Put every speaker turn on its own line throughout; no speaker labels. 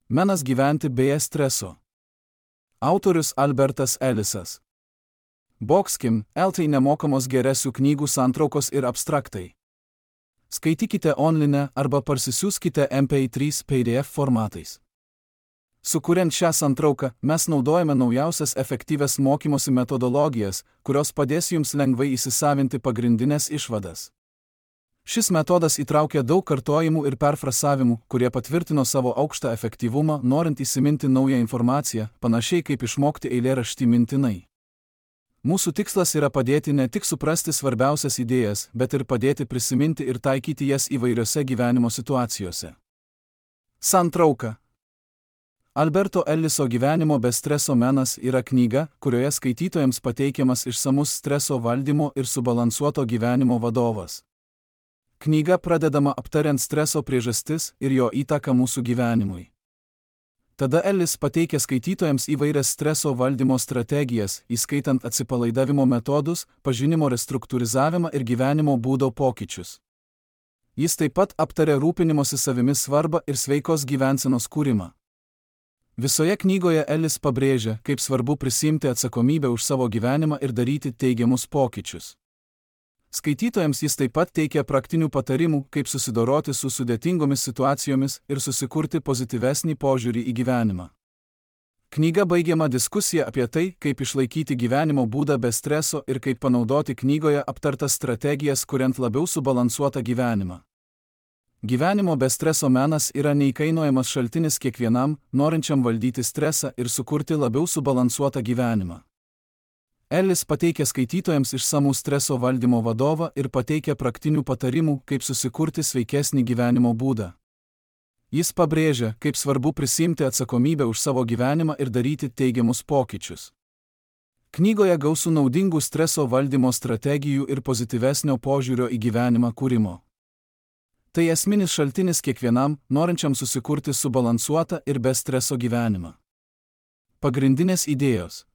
Menas gyventi be streso. Autorius Albertas Ellisas. Boxkim, LT nemokamos geresių knygų santraukos ir abstraktai. Skaitykite online arba parsisiųskite MP3 PDF formatais. Sukuriant šią santrauką, mes naudojame naujausias efektyvias mokymosi metodologijas, kurios padės jums lengvai įsisavinti pagrindinės išvadas. Šis metodas įtraukia daug kartojimų ir perfrasavimų, kurie patvirtino savo aukštą efektyvumą, norint įsiminti naują informaciją, panašiai kaip išmokti eilėraštį mintinai. Mūsų tikslas yra padėti ne tik suprasti svarbiausias idėjas, bet ir padėti prisiminti ir taikyti jas įvairiose gyvenimo situacijose. Santrauka. Alberto Elliso Gyvenimo be streso menas yra knyga, kurioje skaitytojams pateikiamas išsamus streso valdymo ir subalansuoto gyvenimo vadovas. Knyga pradedama aptariant streso priežastis ir jo įtaką mūsų gyvenimui. Tada Ellis pateikia skaitytojams įvairias streso valdymo strategijas, įskaitant atsipalaidavimo metodus, pažinimo restruktūrizavimą ir gyvenimo būdo pokyčius. Jis taip pat aptarė rūpinimosi savimi svarbą ir sveikos gyvensenos kūrimą. Visoje knygoje Ellis pabrėžia, kaip svarbu prisiimti atsakomybę už savo gyvenimą ir daryti teigiamus pokyčius. Skaitytojams jis taip pat teikia praktinių patarimų, kaip susidoroti su sudėtingomis situacijomis ir susikurti pozityvesnį požiūrį į gyvenimą. Knyga baigiama diskusija apie tai, kaip išlaikyti gyvenimo būdą be streso ir kaip panaudoti knygoje aptartas strategijas, kuriant labiau subalansuotą gyvenimą. Gyvenimo be streso menas yra neįkainojamas šaltinis kiekvienam, norinčiam valdyti stresą ir sukurti labiau subalansuotą gyvenimą. Ellis pateikia skaitytojams išsamų streso valdymo vadovą ir pateikia praktinių patarimų, kaip susikurti sveikesnį gyvenimo būdą. Jis pabrėžia, kaip svarbu prisiimti atsakomybę už savo gyvenimą ir daryti teigiamus pokyčius. Knygoje gausu naudingų streso valdymo strategijų ir pozityvesnio požiūrio į gyvenimą kūrimo. Tai esminis šaltinis kiekvienam, norinčiam susikurti subalansuotą ir be streso gyvenimą. Pagrindinės idėjos.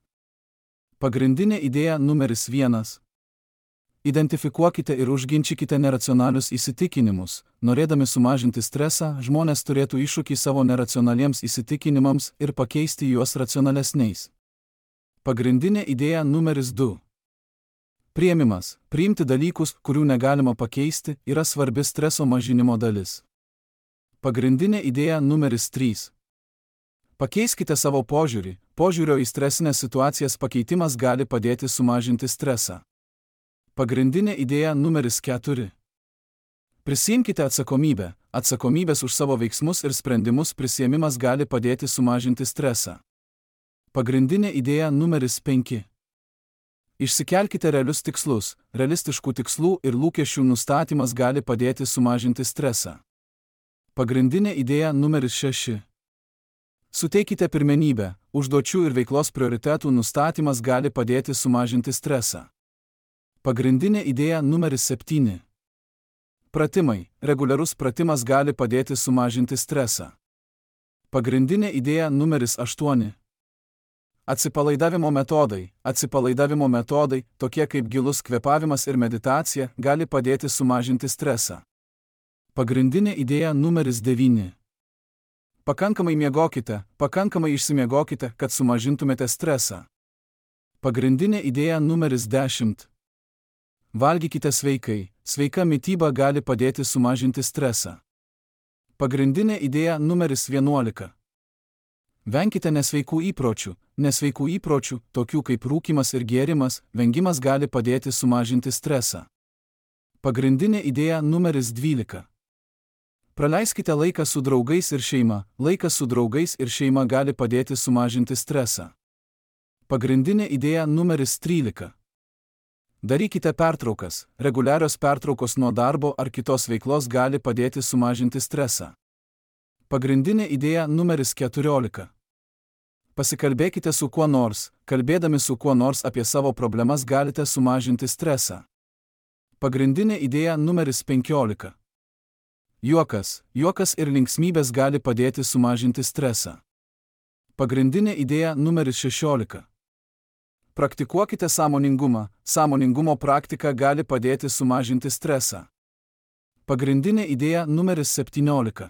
Pagrindinė idėja numeris 1. Identifikuokite ir užginčykite neracionalius įsitikinimus. Norėdami sumažinti stresą, žmonės turėtų iššūkį savo neracionaliems įsitikinimams ir pakeisti juos racionalesniais. Pagrindinė idėja numeris 2. Priėmimas, priimti dalykus, kurių negalima pakeisti, yra svarbi streso mažinimo dalis. Pagrindinė idėja numeris 3. Pakeiskite savo požiūrį. Požiūrio į stresinės situacijas pakeitimas gali padėti sumažinti stresą. Pagrindinė idėja numeris 4. Prisiimkite atsakomybę. Atsakomybės už savo veiksmus ir sprendimus prisiėmimas gali padėti sumažinti stresą. Pagrindinė idėja numeris 5. Išsikelkite realius tikslus. Realistiškų tikslų ir lūkesčių nustatymas gali padėti sumažinti stresą. Pagrindinė idėja numeris 6. Suteikite pirmenybę. Užduočių ir veiklos prioritetų nustatymas gali padėti sumažinti stresą. Pagrindinė idėja numeris 7. Pratimai. Reguliarus pratimas gali padėti sumažinti stresą. Pagrindinė idėja numeris 8. Atsipalaidavimo metodai. Atsipalaidavimo metodai, tokie kaip gilus kvėpavimas ir meditacija, gali padėti sumažinti stresą. Pagrindinė idėja numeris 9. Pakankamai miegokite, pakankamai išsimiegokite, kad sumažintumėte stresą. Pagrindinė idėja numeris 10. Valgykite sveikai. Sveika mityba gali padėti sumažinti stresą. Pagrindinė idėja numeris 11. Venkite nesveikų įpročių. Nesveikų įpročių, tokių kaip rūkymas ir gėrimas, vengimas gali padėti sumažinti stresą. Pagrindinė idėja numeris 12. Praleiskite laiką su draugais ir šeima. Laikas su draugais ir šeima gali padėti sumažinti stresą. Pagrindinė idėja numeris 13. Darykite pertraukas. Reguliarios pertraukos nuo darbo ar kitos veiklos gali padėti sumažinti stresą. Pagrindinė idėja numeris 14. Pasikalbėkite su kuo nors. Kalbėdami su kuo nors apie savo problemas galite sumažinti stresą. Pagrindinė idėja numeris 15. Juokas. Juokas ir linksmybės gali padėti sumažinti stresą. Pagrindinė idėja numeris 16. Praktikuokite sąmoningumą. Sąmoningumo praktika gali padėti sumažinti stresą. Pagrindinė idėja numeris 17.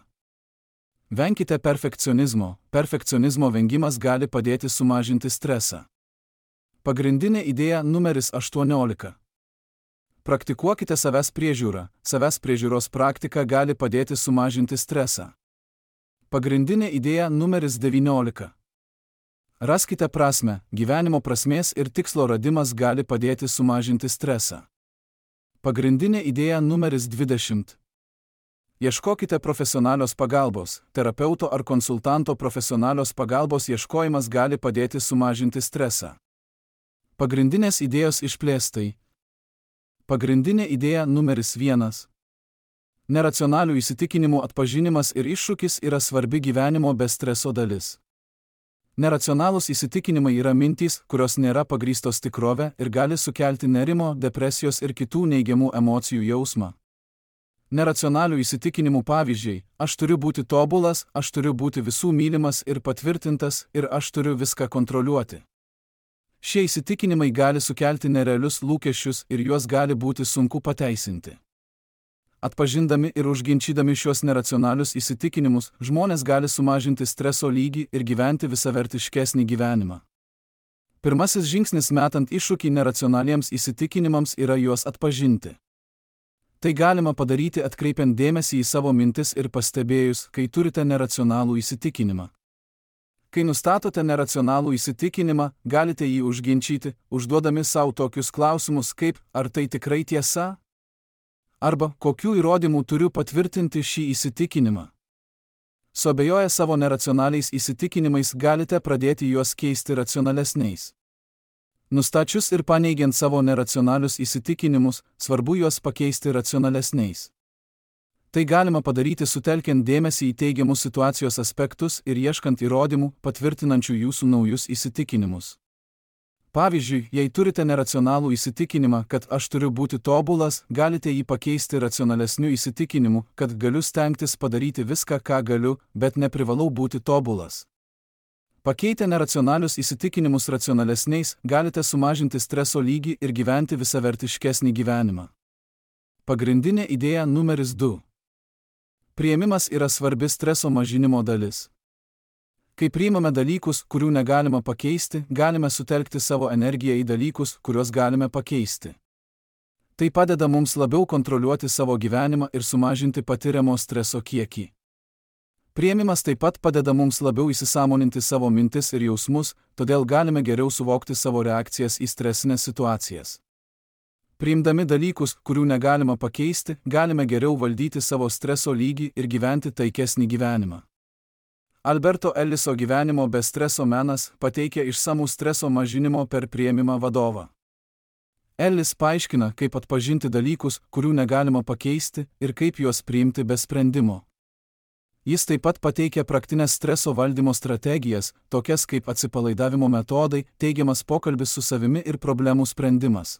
Venkite perfekcionizmo. Perfekcionizmo vengimas gali padėti sumažinti stresą. Pagrindinė idėja numeris 18. Praktikuokite savęs priežiūrą. Savęs priežiūros praktika gali padėti sumažinti stresą. Pagrindinė idėja numeris 19. Raskite prasmę. Gyvenimo prasmės ir tikslo radimas gali padėti sumažinti stresą. Pagrindinė idėja numeris 20. Ieškokite profesionalios pagalbos. Terapeuto ar konsultanto profesionalios pagalbos ieškojimas gali padėti sumažinti stresą. Pagrindinės idėjos išplėstai. Pagrindinė idėja numeris 1. Neracionalių įsitikinimų atpažinimas ir iššūkis yra svarbi gyvenimo be streso dalis. Neracionalūs įsitikinimai yra mintys, kurios nėra pagrįstos tikrove ir gali sukelti nerimo, depresijos ir kitų neigiamų emocijų jausmą. Neracionalių įsitikinimų pavyzdžiai: aš turiu būti tobulas, aš turiu būti visų mylimas ir patvirtintas ir aš turiu viską kontroliuoti. Šie įsitikinimai gali sukelti nerealius lūkesčius ir juos gali būti sunku pateisinti. Atpažindami ir užginčydami šios neracionalius įsitikinimus, žmonės gali sumažinti streso lygį ir gyventi visavertiškesnį gyvenimą. Pirmasis žingsnis metant iššūkį neracionaliems įsitikinimams yra juos atpažinti. Tai galima padaryti atkreipiant dėmesį į savo mintis ir pastebėjus, kai turite neracionalų įsitikinimą. Kai nustatote neracionalų įsitikinimą, galite jį užginčyti, užduodami savo tokius klausimus kaip: ar tai tikrai tiesa? Arba kokių įrodymų turiu patvirtinti šį įsitikinimą? Suabejoję savo neracionaliais įsitikinimais galite pradėti juos keisti racionalesniais. Nustačius ir paneigiant savo neracionalius įsitikinimus, svarbu juos pakeisti racionalesniais. Tai galima padaryti sutelkiant dėmesį į teigiamus situacijos aspektus ir ieškant įrodymų, patvirtinančių jūsų naujus įsitikinimus. Pavyzdžiui, jei turite neracionalų įsitikinimą, kad aš turiu būti tobulas, galite jį pakeisti racionalesniu įsitikinimu, kad galiu stengtis padaryti viską, ką galiu, bet neprivalau būti tobulas. Pakeitę neracionalius įsitikinimus racionalesniais, galite sumažinti streso lygį ir gyventi visavertiškesnį gyvenimą. Pagrindinė idėja numeris 2. Priėmimas yra svarbi streso mažinimo dalis. Kai priimame dalykus, kurių negalima pakeisti, galime sutelkti savo energiją į dalykus, kuriuos galime pakeisti. Tai padeda mums labiau kontroliuoti savo gyvenimą ir sumažinti patiriamo streso kiekį. Priėmimas taip pat padeda mums labiau įsisąmoninti savo mintis ir jausmus, todėl galime geriau suvokti savo reakcijas į stresinės situacijas. Priimdami dalykus, kurių negalima pakeisti, galime geriau valdyti savo streso lygį ir gyventi taikesnį gyvenimą. Alberto Elliso gyvenimo be streso menas pateikia išsamų streso mažinimo per priėmimą vadovą. Ellis paaiškina, kaip atpažinti dalykus, kurių negalima pakeisti, ir kaip juos priimti be sprendimo. Jis taip pat pateikia praktinės streso valdymo strategijas, tokias kaip atsipalaidavimo metodai, teigiamas pokalbis su savimi ir problemų sprendimas.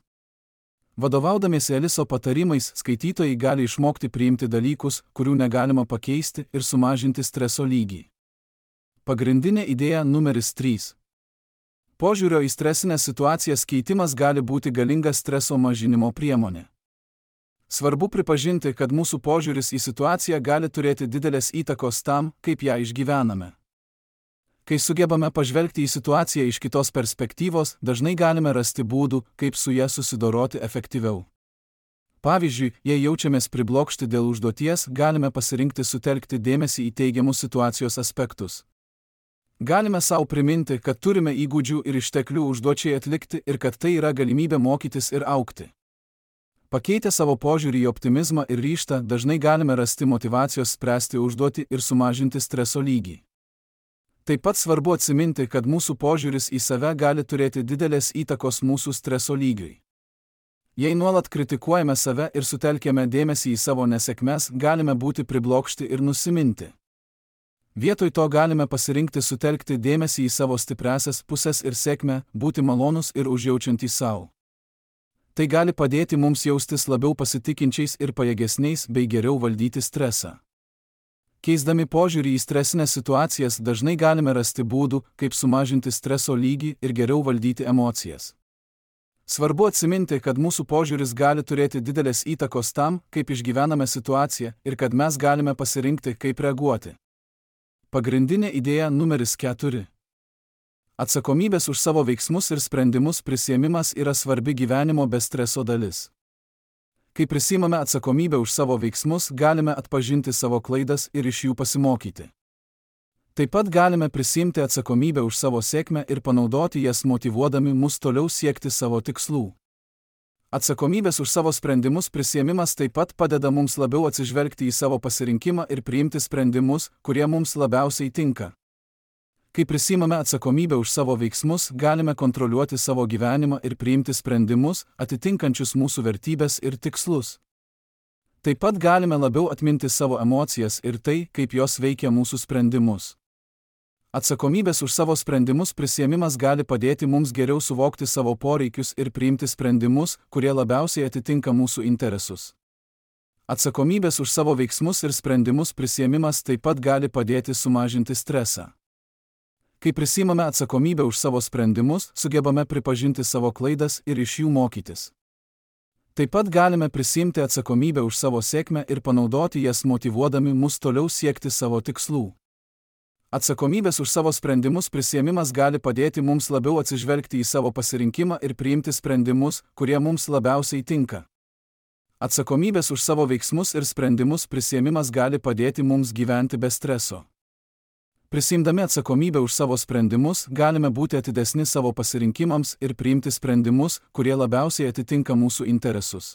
Vadovaudamiesi Eliso patarimais, skaitytojai gali išmokti priimti dalykus, kurių negalima pakeisti, ir sumažinti streso lygį. Pagrindinė idėja numeris 3. Požiūrio į stresinės situacijas keitimas gali būti galinga streso mažinimo priemonė. Svarbu pripažinti, kad mūsų požiūris į situaciją gali turėti didelės įtakos tam, kaip ją išgyvename. Kai sugebame pažvelgti į situaciją iš kitos perspektyvos, dažnai galime rasti būdų, kaip su ja susidoroti efektyviau. Pavyzdžiui, jei jaučiamės priblokšti dėl užduoties, galime pasirinkti sutelkti dėmesį į teigiamus situacijos aspektus. Galime savo priminti, kad turime įgūdžių ir išteklių užduočiai atlikti ir kad tai yra galimybė mokytis ir augti. Pakeitę savo požiūrį į optimizmą ir ryžtą, dažnai galime rasti motyvacijos spręsti užduotį ir sumažinti streso lygį. Taip pat svarbu atsiminti, kad mūsų požiūris į save gali turėti didelės įtakos mūsų streso lygiui. Jei nuolat kritikuojame save ir sutelkiame dėmesį į savo nesėkmes, galime būti priblokšti ir nusiminti. Vietoj to galime pasirinkti sutelkti dėmesį į savo stipriąsias pusės ir sėkmę, būti malonus ir užjaučiantys savo. Tai gali padėti mums jaustis labiau pasitikinčiais ir pajėgesniais bei geriau valdyti stresą. Keisdami požiūrį į stresinės situacijas dažnai galime rasti būdų, kaip sumažinti streso lygį ir geriau valdyti emocijas. Svarbu atsiminti, kad mūsų požiūris gali turėti didelės įtakos tam, kaip išgyvename situaciją ir kad mes galime pasirinkti, kaip reaguoti. Pagrindinė idėja numeris 4. Atsakomybės už savo veiksmus ir sprendimus prisiėmimas yra svarbi gyvenimo be streso dalis. Kai prisiimame atsakomybę už savo veiksmus, galime atpažinti savo klaidas ir iš jų pasimokyti. Taip pat galime prisiimti atsakomybę už savo sėkmę ir panaudoti jas motyvuodami mus toliau siekti savo tikslų. Atsakomybės už savo sprendimus prisiėmimas taip pat padeda mums labiau atsižvelgti į savo pasirinkimą ir priimti sprendimus, kurie mums labiausiai tinka. Kai prisiimame atsakomybę už savo veiksmus, galime kontroliuoti savo gyvenimą ir priimti sprendimus, atitinkančius mūsų vertybės ir tikslus. Taip pat galime labiau atminti savo emocijas ir tai, kaip jos veikia mūsų sprendimus. Atsakomybės už savo sprendimus prisiėmimas gali padėti mums geriau suvokti savo poreikius ir priimti sprendimus, kurie labiausiai atitinka mūsų interesus. Atsakomybės už savo veiksmus ir sprendimus prisiėmimas taip pat gali padėti sumažinti stresą. Kai prisiimame atsakomybę už savo sprendimus, sugebame pripažinti savo klaidas ir iš jų mokytis. Taip pat galime prisiimti atsakomybę už savo sėkmę ir panaudoti jas motyvuodami mus toliau siekti savo tikslų. Atsakomybės už savo sprendimus prisiėmimas gali padėti mums labiau atsižvelgti į savo pasirinkimą ir priimti sprendimus, kurie mums labiausiai tinka. Atsakomybės už savo veiksmus ir sprendimus prisiėmimas gali padėti mums gyventi be streso. Prisiimdami atsakomybę už savo sprendimus, galime būti atidesni savo pasirinkimams ir priimti sprendimus, kurie labiausiai atitinka mūsų interesus.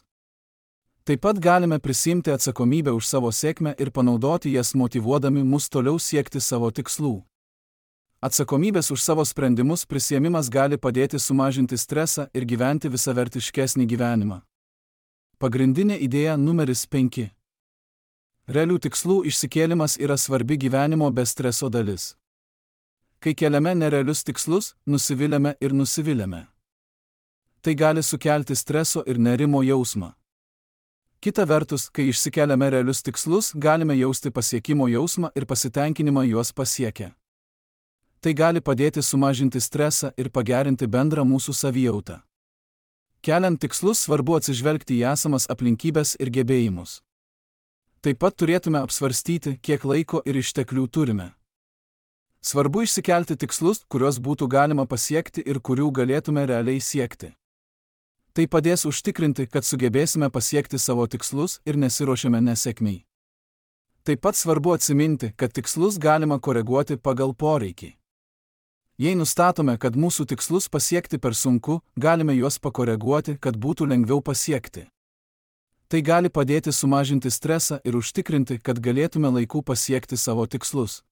Taip pat galime prisiimti atsakomybę už savo sėkmę ir panaudoti jas motyvuodami mus toliau siekti savo tikslų. Atsakomybės už savo sprendimus prisiėmimas gali padėti sumažinti stresą ir gyventi visavertiškesnį gyvenimą. Pagrindinė idėja numeris 5. Realių tikslų išsikėlimas yra svarbi gyvenimo be streso dalis. Kai keliame nerealius tikslus, nusiviliame ir nusiviliame. Tai gali sukelti streso ir nerimo jausmą. Kita vertus, kai išsikeliame realius tikslus, galime jausti pasiekimo jausmą ir pasitenkinimą juos pasiekę. Tai gali padėti sumažinti stresą ir pagerinti bendrą mūsų savijautą. Keliant tikslus svarbu atsižvelgti į esamas aplinkybės ir gebėjimus. Taip pat turėtume apsvarstyti, kiek laiko ir išteklių turime. Svarbu išsikelti tikslus, kuriuos būtų galima pasiekti ir kurių galėtume realiai siekti. Tai padės užtikrinti, kad sugebėsime pasiekti savo tikslus ir nesiruošiame nesėkmei. Taip pat svarbu atsiminti, kad tikslus galima koreguoti pagal poreikį. Jei nustatome, kad mūsų tikslus pasiekti per sunku, galime juos pakoreguoti, kad būtų lengviau pasiekti. Tai gali padėti sumažinti stresą ir užtikrinti, kad galėtume laiku pasiekti savo tikslus.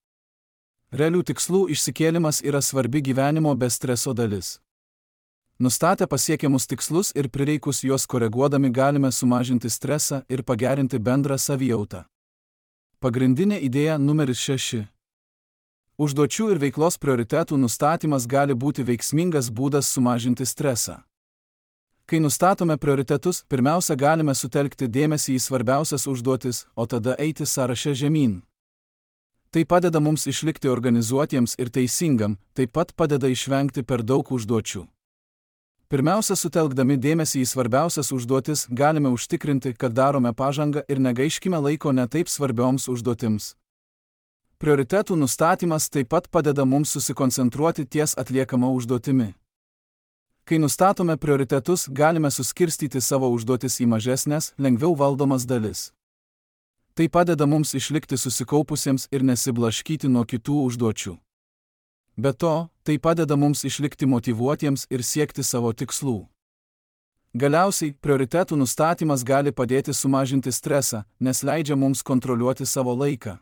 Realių tikslų išsikėlimas yra svarbi gyvenimo be streso dalis. Nustatę pasiekiamus tikslus ir prireikus juos koreguodami galime sumažinti stresą ir pagerinti bendrą savijautą. Pagrindinė idėja numeris 6. Užduočių ir veiklos prioritetų nustatymas gali būti veiksmingas būdas sumažinti stresą. Kai nustatome prioritetus, pirmiausia galime sutelkti dėmesį į svarbiausias užduotis, o tada eiti sąraše žemyn. Tai padeda mums išlikti organizuotiems ir teisingam, taip pat padeda išvengti per daug užduočių. Pirmiausia, sutelkdami dėmesį į svarbiausias užduotis, galime užtikrinti, kad darome pažangą ir negaiškime laiko netaip svarbioms užduotims. Prioritetų nustatymas taip pat padeda mums susikoncentruoti ties atliekama užduotimi. Kai nustatome prioritetus, galime suskirstyti savo užduotis į mažesnes, lengviau valdomas dalis. Tai padeda mums išlikti susikaupusiems ir nesiblaškyti nuo kitų užduočių. Be to, tai padeda mums išlikti motyvuotiems ir siekti savo tikslų. Galiausiai, prioritetų nustatymas gali padėti sumažinti stresą, nes leidžia mums kontroliuoti savo laiką.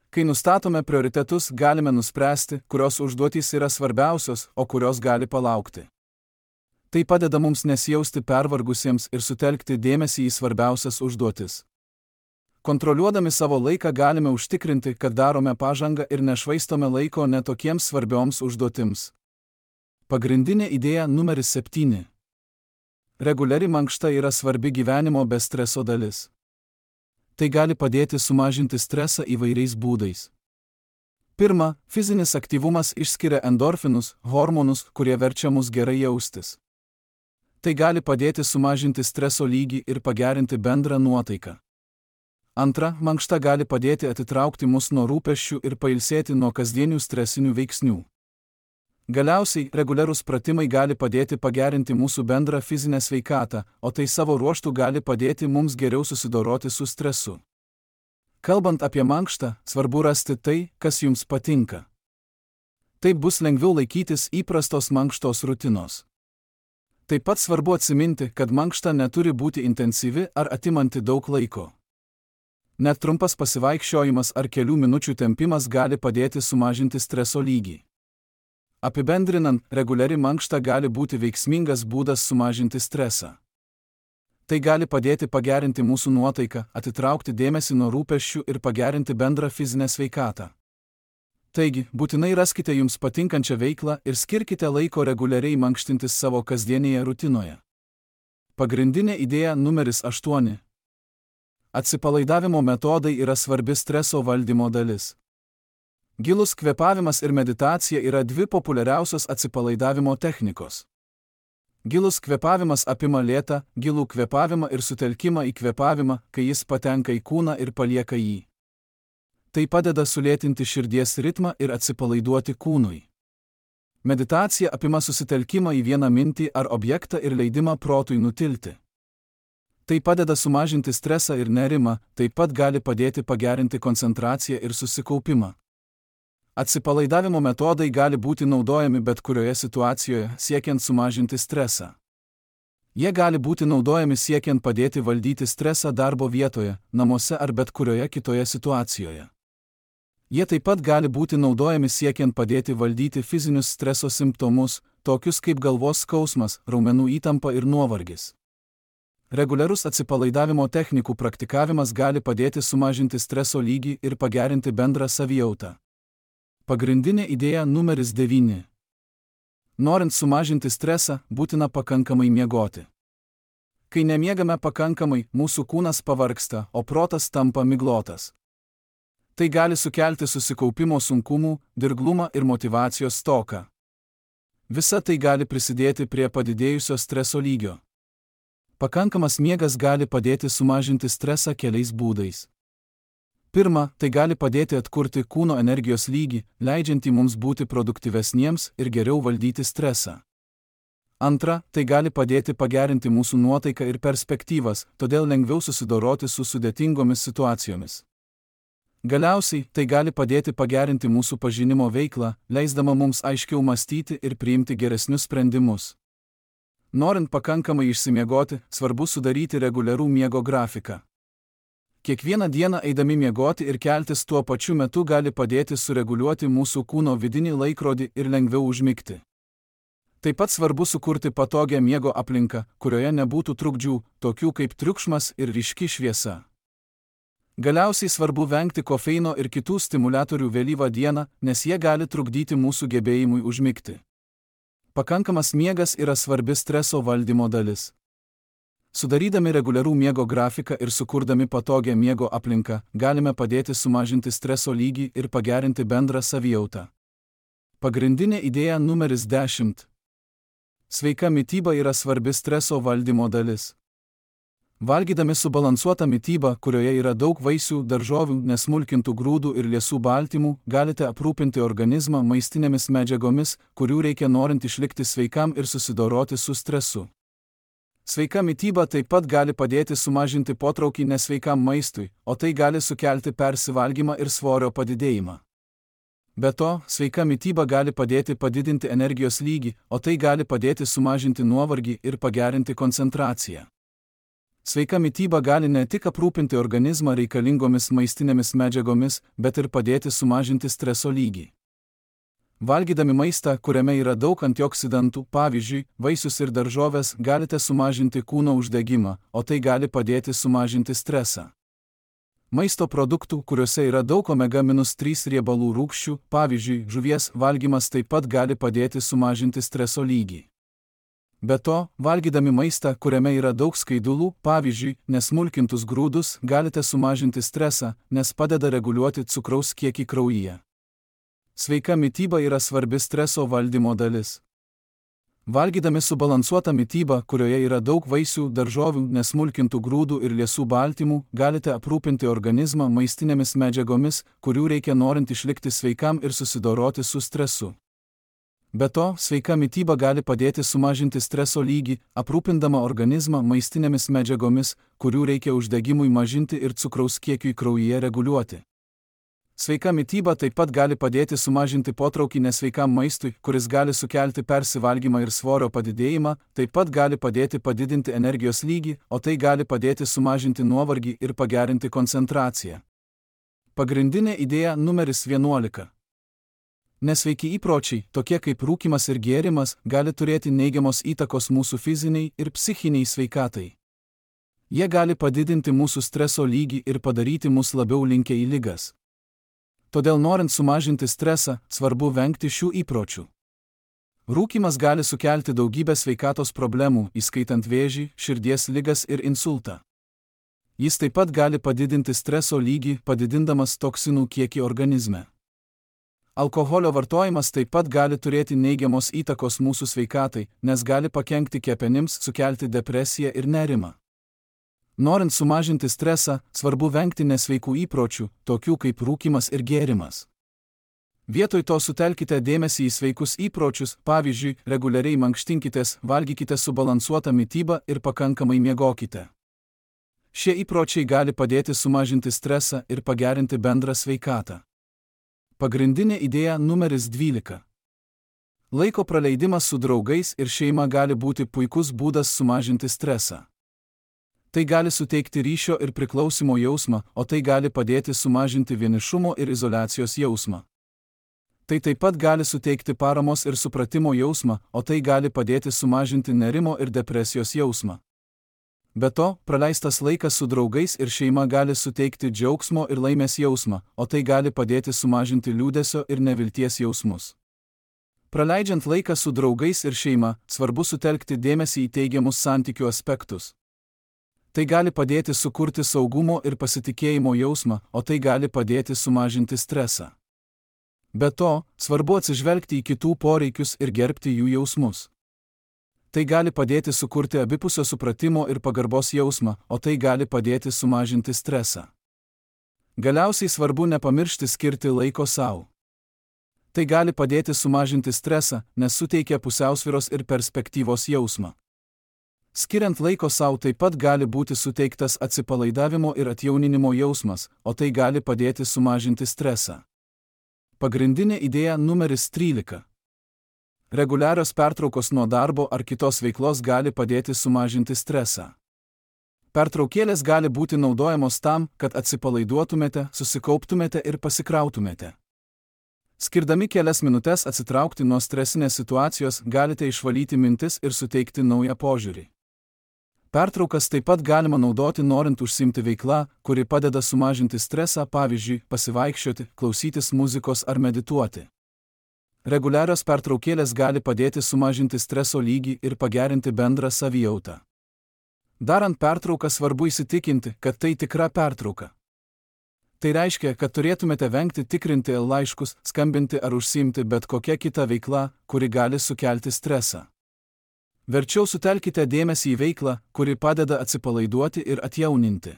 Kai nustatome prioritetus, galime nuspręsti, kurios užduotys yra svarbiausios, o kurios gali palaukti. Tai padeda mums nesijausti pervargusiems ir sutelkti dėmesį į svarbiausias užduotis. Kontroliuodami savo laiką galime užtikrinti, kad darome pažangą ir nešvaistome laiko netokiems svarbioms užduotims. Pagrindinė idėja numeris 7. Reguliari mankšta yra svarbi gyvenimo be streso dalis. Tai gali padėti sumažinti stresą įvairiais būdais. Pirma, fizinis aktyvumas išskiria endorfinus, hormonus, kurie verčia mus gerai jaustis. Tai gali padėti sumažinti streso lygį ir pagerinti bendrą nuotaiką. Antra, mankšta gali padėti atitraukti mus nuo rūpesčių ir pailsėti nuo kasdienių stresinių veiksnių. Galiausiai, reguliarūs pratimai gali padėti pagerinti mūsų bendrą fizinę sveikatą, o tai savo ruožtu gali padėti mums geriau susidoroti su stresu. Kalbant apie mankštą, svarbu rasti tai, kas jums patinka. Taip bus lengviau laikytis įprastos mankštos rutinos. Taip pat svarbu atsiminti, kad mankšta neturi būti intensyvi ar atimanti daug laiko. Net trumpas pasivaikščiojimas ar kelių minučių tempimas gali padėti sumažinti streso lygį. Apibendrinant, reguliari mankšta gali būti veiksmingas būdas sumažinti stresą. Tai gali padėti pagerinti mūsų nuotaiką, atitraukti dėmesį nuo rūpesčių ir pagerinti bendrą fizinę sveikatą. Taigi, būtinai raskite jums patinkančią veiklą ir skirkite laiko reguliariai mankštintis savo kasdienėje rutinoje. Pagrindinė idėja numeris 8. Atsipalaidavimo metodai yra svarbi streso valdymo dalis. Gilus kvėpavimas ir meditacija yra dvi populiariausios atsipalaidavimo technikos. Gilus kvėpavimas apima lėtą, gilų kvėpavimą ir sutelkimą į kvėpavimą, kai jis patenka į kūną ir palieka jį. Tai padeda sulėtinti širdies ritmą ir atsipalaiduoti kūnui. Meditacija apima susitelkimą į vieną mintį ar objektą ir leidimą protui nutilti. Tai padeda sumažinti stresą ir nerimą, taip pat gali padėti pagerinti koncentraciją ir susikaupimą. Atsipalaidavimo metodai gali būti naudojami bet kurioje situacijoje, siekiant sumažinti stresą. Jie gali būti naudojami siekiant padėti valdyti stresą darbo vietoje, namuose ar bet kurioje kitoje situacijoje. Jie taip pat gali būti naudojami siekiant padėti valdyti fizinius streso simptomus, tokius kaip galvos skausmas, raumenų įtampa ir nuovargis. Reguliarus atsipalaidavimo technikų praktikavimas gali padėti sumažinti streso lygį ir pagerinti bendrą savijautą. Pagrindinė idėja numeris 9. Norint sumažinti stresą, būtina pakankamai miegoti. Kai nemiegame pakankamai, mūsų kūnas pavargsta, o protas tampa miglotas. Tai gali sukelti susikaupimo sunkumų, dirglumą ir motyvacijos stoką. Visa tai gali prisidėti prie padidėjusio streso lygio. Pakankamas miegas gali padėti sumažinti stresą keliais būdais. Pirma, tai gali padėti atkurti kūno energijos lygį, leidžiantį mums būti produktyvesniems ir geriau valdyti stresą. Antra, tai gali padėti pagerinti mūsų nuotaiką ir perspektyvas, todėl lengviau susidoroti su sudėtingomis situacijomis. Galiausiai, tai gali padėti pagerinti mūsų pažinimo veiklą, leisdama mums aiškiau mąstyti ir priimti geresnius sprendimus. Norint pakankamai išsimiegoti, svarbu sudaryti reguliarų miego grafiką. Kiekvieną dieną eidami miegoti ir keltis tuo pačiu metu gali padėti sureguliuoti mūsų kūno vidinį laikrodį ir lengviau užmigti. Taip pat svarbu sukurti patogią miego aplinką, kurioje nebūtų trukdžių, tokių kaip triukšmas ir ryški šviesa. Galiausiai svarbu vengti kofeino ir kitų stimuliatorių vėlyvą dieną, nes jie gali trukdyti mūsų gebėjimui užmigti. Pakankamas miegas yra svarbi streso valdymo dalis. Sudarydami reguliarų miego grafiką ir sukurdami patogią miego aplinką, galime padėti sumažinti streso lygį ir pagerinti bendrą savijautą. Pagrindinė idėja numeris 10. Sveika mityba yra svarbi streso valdymo dalis. Valgydami subalansuotą mitybą, kurioje yra daug vaisių, daržovių, nesmulkintų grūdų ir liesų baltymų, galite aprūpinti organizmą maistinėmis medžiagomis, kurių reikia norint išlikti sveikam ir susidoroti su stresu. Sveika mityba taip pat gali padėti sumažinti potraukį nesveikam maistui, o tai gali sukelti persivalgymą ir svorio padidėjimą. Be to, sveika mityba gali padėti padidinti energijos lygį, o tai gali padėti sumažinti nuovargį ir pagerinti koncentraciją. Sveika mityba gali ne tik aprūpinti organizmą reikalingomis maistinėmis medžiagomis, bet ir padėti sumažinti streso lygį. Valgydami maistą, kuriame yra daug antioksidantų, pavyzdžiui, vaisius ir daržoves, galite sumažinti kūno uždegimą, o tai gali padėti sumažinti stresą. Maisto produktų, kuriuose yra daug omega-3 riebalų rūgščių, pavyzdžiui, žuvies valgymas taip pat gali padėti sumažinti streso lygį. Be to, valgydami maistą, kuriame yra daug skaidulų, pavyzdžiui, nesmulkintus grūdus, galite sumažinti stresą, nes padeda reguliuoti cukraus kiekį kraujyje. Sveika mityba yra svarbi streso valdymo dalis. Valgydami subalansuotą mitybą, kurioje yra daug vaisių, daržovių, nesmulkintų grūdų ir liesų baltymų, galite aprūpinti organizmą maistinėmis medžiagomis, kurių reikia norint išlikti sveikam ir susidoroti su stresu. Be to, sveika mityba gali padėti sumažinti streso lygį, aprūpindama organizmą maistinėmis medžiagomis, kurių reikia uždegimui mažinti ir cukraus kiekiui kraujyje reguliuoti. Sveika mityba taip pat gali padėti sumažinti potraukį nesveikam maistui, kuris gali sukelti persivalgymą ir svorio padidėjimą, taip pat gali padėti padidinti energijos lygį, o tai gali padėti sumažinti nuovargį ir pagerinti koncentraciją. Pagrindinė idėja numeris 11. Nesveiki įpročiai, tokie kaip rūkymas ir gėrimas, gali turėti neigiamos įtakos mūsų fiziniai ir psichiniai sveikatai. Jie gali padidinti mūsų streso lygį ir padaryti mus labiau linkę į ligas. Todėl norint sumažinti stresą, svarbu vengti šių įpročių. Rūkymas gali sukelti daugybę sveikatos problemų, įskaitant vėžį, širdies ligas ir insultą. Jis taip pat gali padidinti streso lygį, padidindamas toksinų kiekį organizme. Alkoholio vartojimas taip pat gali turėti neigiamos įtakos mūsų sveikatai, nes gali pakenkti kepenims, sukelti depresiją ir nerimą. Norint sumažinti stresą, svarbu vengti nesveikų įpročių, tokių kaip rūkymas ir gėrimas. Vietoj to sutelkite dėmesį į sveikus įpročius, pavyzdžiui, reguliariai mankštinkitės, valgykite subalansuotą mitybą ir pakankamai miegokite. Šie įpročiai gali padėti sumažinti stresą ir pagerinti bendrą sveikatą. Pagrindinė idėja numeris 12. Laiko praleidimas su draugais ir šeima gali būti puikus būdas sumažinti stresą. Tai gali suteikti ryšio ir priklausimo jausmą, o tai gali padėti sumažinti vienišumo ir izoliacijos jausmą. Tai taip pat gali suteikti paramos ir supratimo jausmą, o tai gali padėti sumažinti nerimo ir depresijos jausmą. Be to, praleistas laikas su draugais ir šeima gali suteikti džiaugsmo ir laimės jausmą, o tai gali padėti sumažinti liūdesio ir nevilties jausmus. Praleidžiant laiką su draugais ir šeima, svarbu sutelkti dėmesį į teigiamus santykių aspektus. Tai gali padėti sukurti saugumo ir pasitikėjimo jausmą, o tai gali padėti sumažinti stresą. Be to, svarbu atsižvelgti į kitų poreikius ir gerbti jų jausmus. Tai gali padėti sukurti abipusio supratimo ir pagarbos jausmą, o tai gali padėti sumažinti stresą. Galiausiai svarbu nepamiršti skirti laiko sau. Tai gali padėti sumažinti stresą, nes suteikia pusiausvyros ir perspektyvos jausmą. Skiriant laiko sau taip pat gali būti suteiktas atsipalaidavimo ir atjauninimo jausmas, o tai gali padėti sumažinti stresą. Pagrindinė idėja numeris 13. Reguliarios pertraukos nuo darbo ar kitos veiklos gali padėti sumažinti stresą. Pertraukėlės gali būti naudojamos tam, kad atsipalaiduotumėte, susikauptumėte ir pasikrautumėte. Skirdami kelias minutes atsitraukti nuo stresinės situacijos, galite išvalyti mintis ir suteikti naują požiūrį. Pertraukas taip pat galima naudoti norint užsiimti veiklą, kuri padeda sumažinti stresą, pavyzdžiui, pasivaikščioti, klausytis muzikos ar medituoti. Reguliarios pertraukėlės gali padėti sumažinti streso lygį ir pagerinti bendrą savijautą. Darant pertrauką svarbu įsitikinti, kad tai tikra pertrauka. Tai reiškia, kad turėtumėte vengti tikrinti laiškus, skambinti ar užsiimti bet kokia kita veikla, kuri gali sukelti stresą. Verčiau sutelkite dėmesį į veiklą, kuri padeda atsipalaiduoti ir atjauninti.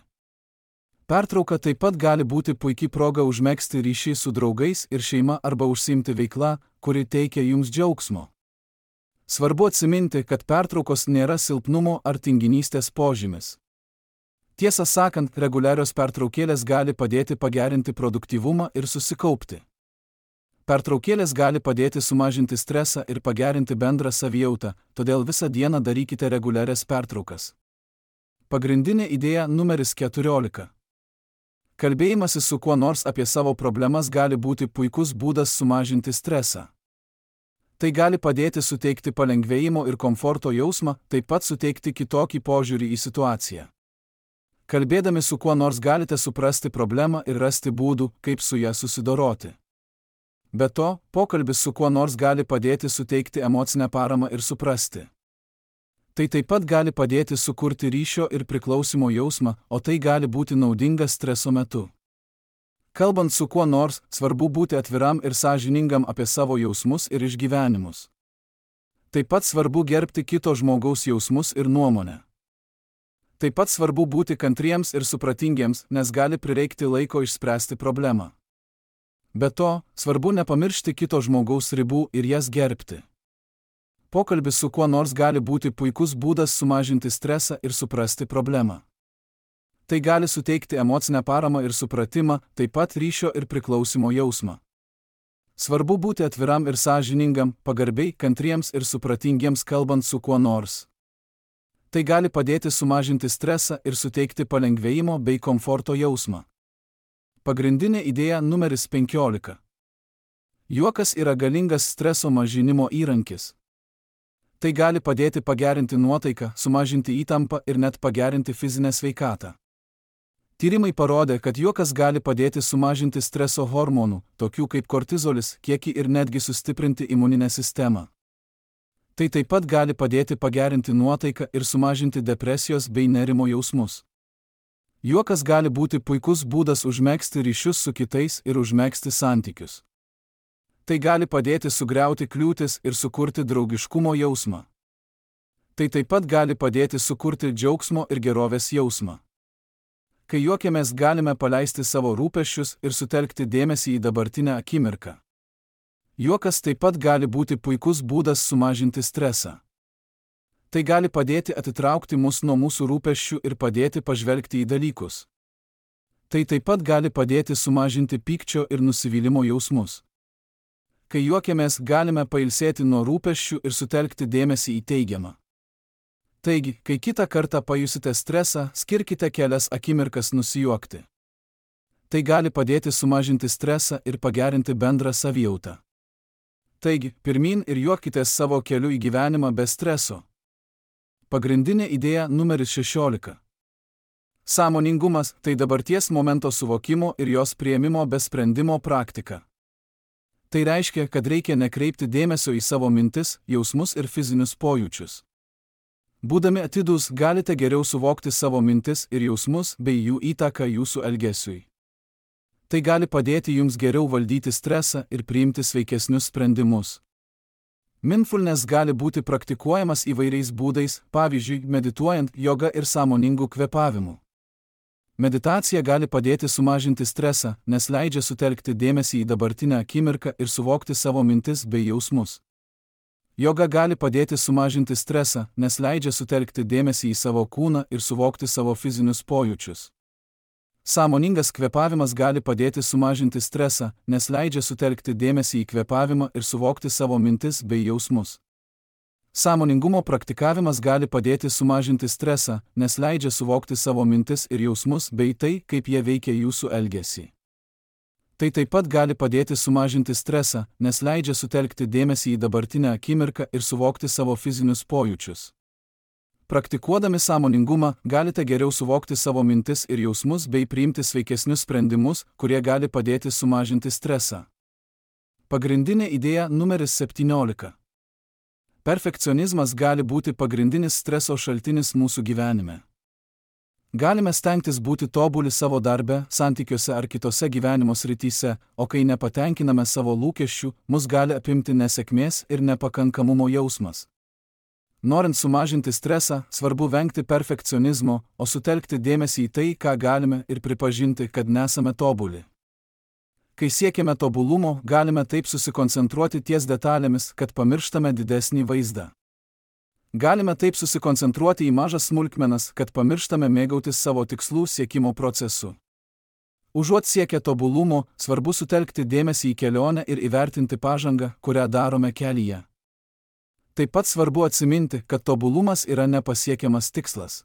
Pertrauka taip pat gali būti puikiai proga užmegzti ryšį su draugais ir šeima arba užsiimti veiklą, kuri teikia jums džiaugsmo. Svarbu atsiminti, kad pertraukos nėra silpnumo ar tinginystės požymis. Tiesą sakant, reguliarios pertraukėlės gali padėti pagerinti produktyvumą ir susikaupti. Pertraukėlės gali padėti sumažinti stresą ir pagerinti bendrą savijautą, todėl visą dieną darykite reguliarias pertraukas. Pagrindinė idėja numeris 14. Kalbėjimasis su kuo nors apie savo problemas gali būti puikus būdas sumažinti stresą. Tai gali padėti suteikti palengvėjimo ir komforto jausmą, taip pat suteikti kitokį požiūrį į situaciją. Kalbėdami su kuo nors galite suprasti problemą ir rasti būdų, kaip su ją susidoroti. Be to, pokalbis su kuo nors gali padėti suteikti emocinę paramą ir suprasti. Tai taip pat gali padėti sukurti ryšio ir priklausimo jausmą, o tai gali būti naudinga streso metu. Kalbant su kuo nors, svarbu būti atviram ir sąžiningam apie savo jausmus ir išgyvenimus. Taip pat svarbu gerbti kito žmogaus jausmus ir nuomonę. Taip pat svarbu būti kantriems ir supratingiems, nes gali prireikti laiko išspręsti problemą. Be to, svarbu nepamiršti kito žmogaus ribų ir jas gerbti. Pokalbis su kuo nors gali būti puikus būdas sumažinti stresą ir suprasti problemą. Tai gali suteikti emocinę paramą ir supratimą, taip pat ryšio ir priklausimo jausmą. Svarbu būti atviram ir sąžiningam, pagarbiai, kantriems ir supratingiems kalbant su kuo nors. Tai gali padėti sumažinti stresą ir suteikti palengvėjimo bei komforto jausmą. Pagrindinė idėja numeris 15. Juokas yra galingas streso mažinimo įrankis. Tai gali padėti pagerinti nuotaiką, sumažinti įtampą ir net pagerinti fizinę sveikatą. Tyrimai parodė, kad juokas gali padėti sumažinti streso hormonų, tokių kaip kortizolis, kiekį ir netgi sustiprinti imuninę sistemą. Tai taip pat gali padėti pagerinti nuotaiką ir sumažinti depresijos bei nerimo jausmus. Juokas gali būti puikus būdas užmegzti ryšius su kitais ir užmegzti santykius. Tai gali padėti sugriauti kliūtis ir sukurti draugiškumo jausmą. Tai taip pat gali padėti sukurti džiaugsmo ir gerovės jausmą. Kai juokiamės, galime paleisti savo rūpesčius ir sutelkti dėmesį į dabartinę akimirką. Juokas taip pat gali būti puikus būdas sumažinti stresą. Tai gali padėti atitraukti mus nuo mūsų rūpesčių ir padėti pažvelgti į dalykus. Tai taip pat gali padėti sumažinti pykčio ir nusivylimo jausmus. Kai juokiamės, galime pailsėti nuo rūpesčių ir sutelkti dėmesį į teigiamą. Taigi, kai kitą kartą pajusite stresą, skirkite kelias akimirkas nusijuokti. Tai gali padėti sumažinti stresą ir pagerinti bendrą savijautą. Taigi, pirmyn ir juokitės savo keliu į gyvenimą be streso. Pagrindinė idėja numeris 16. Sąmoningumas – tai dabarties momento suvokimo ir jos priėmimo be sprendimo praktika. Tai reiškia, kad reikia nekreipti dėmesio į savo mintis, jausmus ir fizinius pojūčius. Būdami atidūs, galite geriau suvokti savo mintis ir jausmus bei jų įtaką jūsų elgesiui. Tai gali padėti jums geriau valdyti stresą ir priimti sveikesnius sprendimus. Mindfulness gali būti praktikuojamas įvairiais būdais, pavyzdžiui, medituojant, joga ir sąmoningu kvėpavimu. Meditacija gali padėti sumažinti stresą, nes leidžia sutelkti dėmesį į dabartinę akimirką ir suvokti savo mintis bei jausmus. Joga gali padėti sumažinti stresą, nes leidžia sutelkti dėmesį į savo kūną ir suvokti savo fizinius pojūčius. Sąmoningas kvėpavimas gali padėti sumažinti stresą, nes leidžia sutelkti dėmesį į kvėpavimą ir suvokti savo mintis bei jausmus. Sąmoningumo praktikavimas gali padėti sumažinti stresą, nes leidžia suvokti savo mintis ir jausmus bei tai, kaip jie veikia jūsų elgesį. Tai taip pat gali padėti sumažinti stresą, nes leidžia sutelkti dėmesį į dabartinę akimirką ir suvokti savo fizinius pojūčius. Praktikuodami sąmoningumą, galite geriau suvokti savo mintis ir jausmus bei priimti sveikesnius sprendimus, kurie gali padėti sumažinti stresą. Pagrindinė idėja numeris 17. Perfekcionizmas gali būti pagrindinis streso šaltinis mūsų gyvenime. Galime stengtis būti tobuli savo darbe, santykiuose ar kitose gyvenimo srityse, o kai nepatenkiname savo lūkesčių, mus gali apimti nesėkmės ir nepakankamumo jausmas. Norint sumažinti stresą, svarbu vengti perfekcionizmo, o sutelkti dėmesį į tai, ką galime ir pripažinti, kad nesame tobuli. Kai siekiame tobulumo, galime taip susikoncentruoti ties detalėmis, kad pamirštame didesnį vaizdą. Galime taip susikoncentruoti į mažas smulkmenas, kad pamirštame mėgautis savo tikslų siekimo procesu. Užuot siekę tobulumo, svarbu sutelkti dėmesį į kelionę ir įvertinti pažangą, kurią darome kelyje. Taip pat svarbu atsiminti, kad tobulumas yra nepasiekiamas tikslas.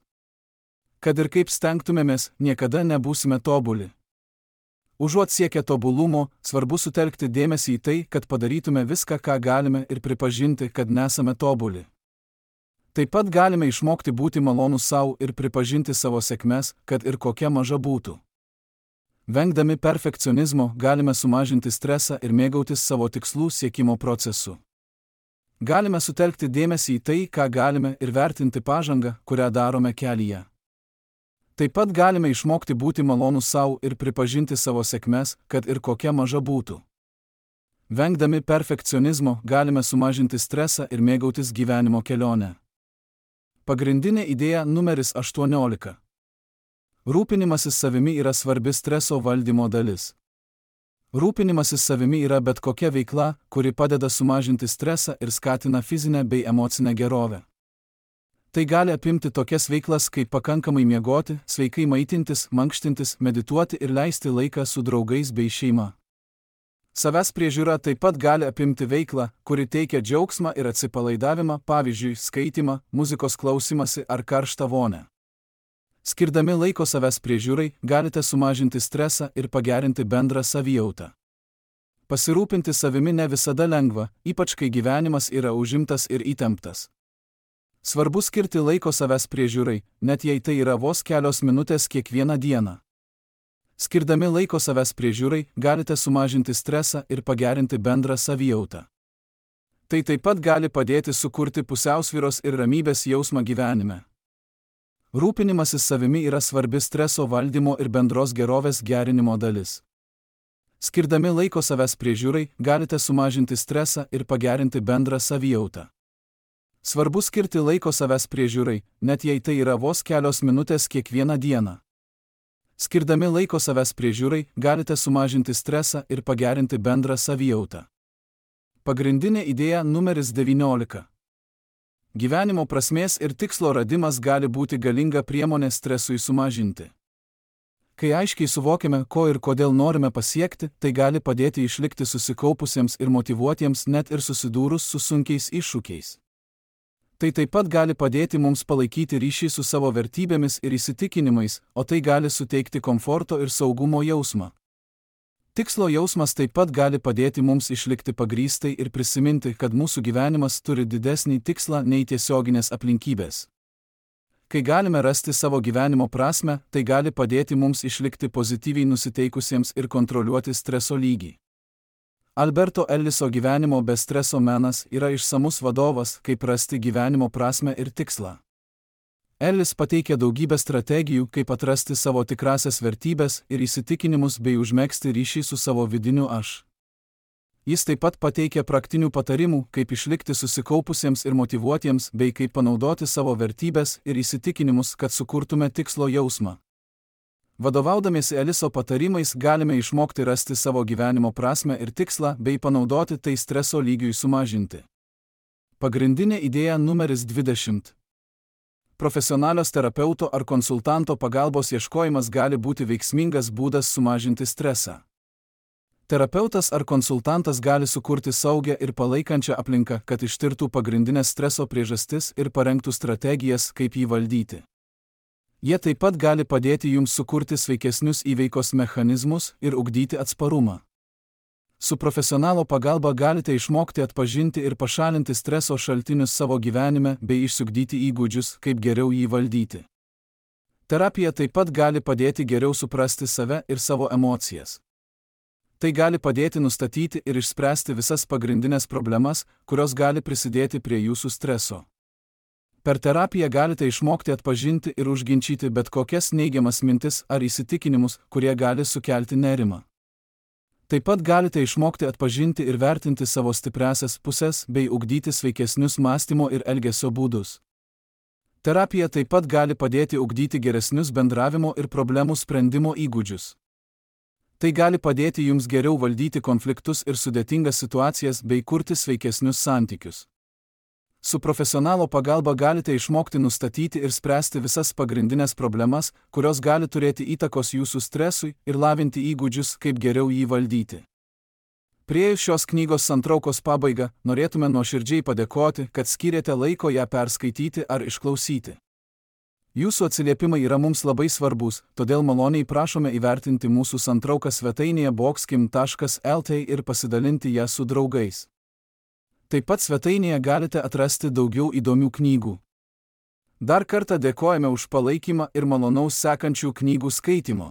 Kad ir kaip stengtumėmės, niekada nebūsime tobuli. Užuot siekę tobulumo, svarbu sutelkti dėmesį į tai, kad padarytume viską, ką galime ir pripažinti, kad nesame tobuli. Taip pat galime išmokti būti malonūs savo ir pripažinti savo sėkmes, kad ir kokia maža būtų. Vengdami perfekcionizmo, galime sumažinti stresą ir mėgautis savo tikslų siekimo procesu. Galime sutelkti dėmesį į tai, ką galime ir vertinti pažangą, kurią darome kelyje. Taip pat galime išmokti būti malonūs savo ir pripažinti savo sėkmes, kad ir kokia maža būtų. Vengdami perfekcionizmo galime sumažinti stresą ir mėgautis gyvenimo kelionę. Pagrindinė idėja numeris 18. Rūpinimasis savimi yra svarbi streso valdymo dalis. Rūpinimasis savimi yra bet kokia veikla, kuri padeda sumažinti stresą ir skatina fizinę bei emocinę gerovę. Tai gali apimti tokias veiklas kaip pakankamai miegoti, sveikai maitintis, mankštintis, medituoti ir leisti laiką su draugais bei šeima. Savęs priežiūra taip pat gali apimti veiklą, kuri teikia džiaugsmą ir atsipalaidavimą, pavyzdžiui, skaitymą, muzikos klausimąsi ar karštą vonią. Skirdami laiko savęs priežiūrai, galite sumažinti stresą ir pagerinti bendrą savijautą. Pasirūpinti savimi ne visada lengva, ypač kai gyvenimas yra užimtas ir įtemptas. Svarbu skirti laiko savęs priežiūrai, net jei tai yra vos kelios minutės kiekvieną dieną. Skirdami laiko savęs priežiūrai, galite sumažinti stresą ir pagerinti bendrą savijautą. Tai taip pat gali padėti sukurti pusiausvyros ir ramybės jausmą gyvenime. Rūpinimasis savimi yra svarbi streso valdymo ir bendros gerovės gerinimo dalis. Skirdami laiko savęs priežiūrai, galite sumažinti stresą ir pagerinti bendrą savijautą. Svarbu skirti laiko savęs priežiūrai, net jei tai yra vos kelios minutės kiekvieną dieną. Skirdami laiko savęs priežiūrai, galite sumažinti stresą ir pagerinti bendrą savijautą. Pagrindinė idėja numeris 19. Gyvenimo prasmės ir tikslo radimas gali būti galinga priemonė stresui sumažinti. Kai aiškiai suvokiame, ko ir kodėl norime pasiekti, tai gali padėti išlikti susikaupusiems ir motyvuotiems net ir susidūrus su sunkiais iššūkiais. Tai taip pat gali padėti mums palaikyti ryšį su savo vertybėmis ir įsitikinimais, o tai gali suteikti komforto ir saugumo jausmą. Tikslo jausmas taip pat gali padėti mums išlikti pagrįstai ir prisiminti, kad mūsų gyvenimas turi didesnį tikslą nei tiesioginės aplinkybės. Kai galime rasti savo gyvenimo prasmę, tai gali padėti mums išlikti pozityviai nusiteikusiems ir kontroliuoti streso lygį. Alberto Elliso gyvenimo be streso menas yra išsamus vadovas, kaip rasti gyvenimo prasmę ir tikslą. Ellis pateikia daugybę strategijų, kaip atrasti savo tikrasias vertybės ir įsitikinimus bei užmegzti ryšį su savo vidiniu aš. Jis taip pat pateikia praktinių patarimų, kaip išlikti susikaupusiems ir motyvuotiems bei kaip panaudoti savo vertybės ir įsitikinimus, kad sukurtume tikslo jausmą. Vadovaudamiesi Eliso patarimais galime išmokti rasti savo gyvenimo prasmę ir tikslą bei panaudoti tai streso lygiui sumažinti. Pagrindinė idėja numeris 20. Profesionalios terapeuto ar konsultanto pagalbos ieškojimas gali būti veiksmingas būdas sumažinti stresą. Terapeutas ar konsultantas gali sukurti saugią ir palaikančią aplinką, kad ištirtų pagrindinės streso priežastis ir parengtų strategijas, kaip jį valdyti. Jie taip pat gali padėti jums sukurti sveikesnius įveikos mechanizmus ir ugdyti atsparumą. Su profesionalo pagalba galite išmokti atpažinti ir pašalinti streso šaltinius savo gyvenime bei išsiugdyti įgūdžius, kaip geriau jį valdyti. Terapija taip pat gali padėti geriau suprasti save ir savo emocijas. Tai gali padėti nustatyti ir išspręsti visas pagrindinės problemas, kurios gali prisidėti prie jūsų streso. Per terapiją galite išmokti atpažinti ir užginčyti bet kokias neigiamas mintis ar įsitikinimus, kurie gali sukelti nerimą. Taip pat galite išmokti atpažinti ir vertinti savo stipriąsias pusės bei ugdyti sveikesnius mąstymo ir elgesio būdus. Terapija taip pat gali padėti ugdyti geresnius bendravimo ir problemų sprendimo įgūdžius. Tai gali padėti jums geriau valdyti konfliktus ir sudėtingas situacijas bei kurti sveikesnius santykius. Su profesionalo pagalba galite išmokti nustatyti ir spręsti visas pagrindinės problemas, kurios gali turėti įtakos jūsų stresui ir lavinti įgūdžius, kaip geriau jį valdyti. Priėjus šios knygos santraukos pabaigą, norėtume nuoširdžiai padėkoti, kad skyrėte laiko ją perskaityti ar išklausyti. Jūsų atsiliepimai yra mums labai svarbus, todėl maloniai prašome įvertinti mūsų santrauką svetainėje boxkim.lt ir pasidalinti ją su draugais. Taip pat svetainėje galite atrasti daugiau įdomių knygų. Dar kartą dėkojame už palaikymą ir malonaus sekančių knygų skaitimo.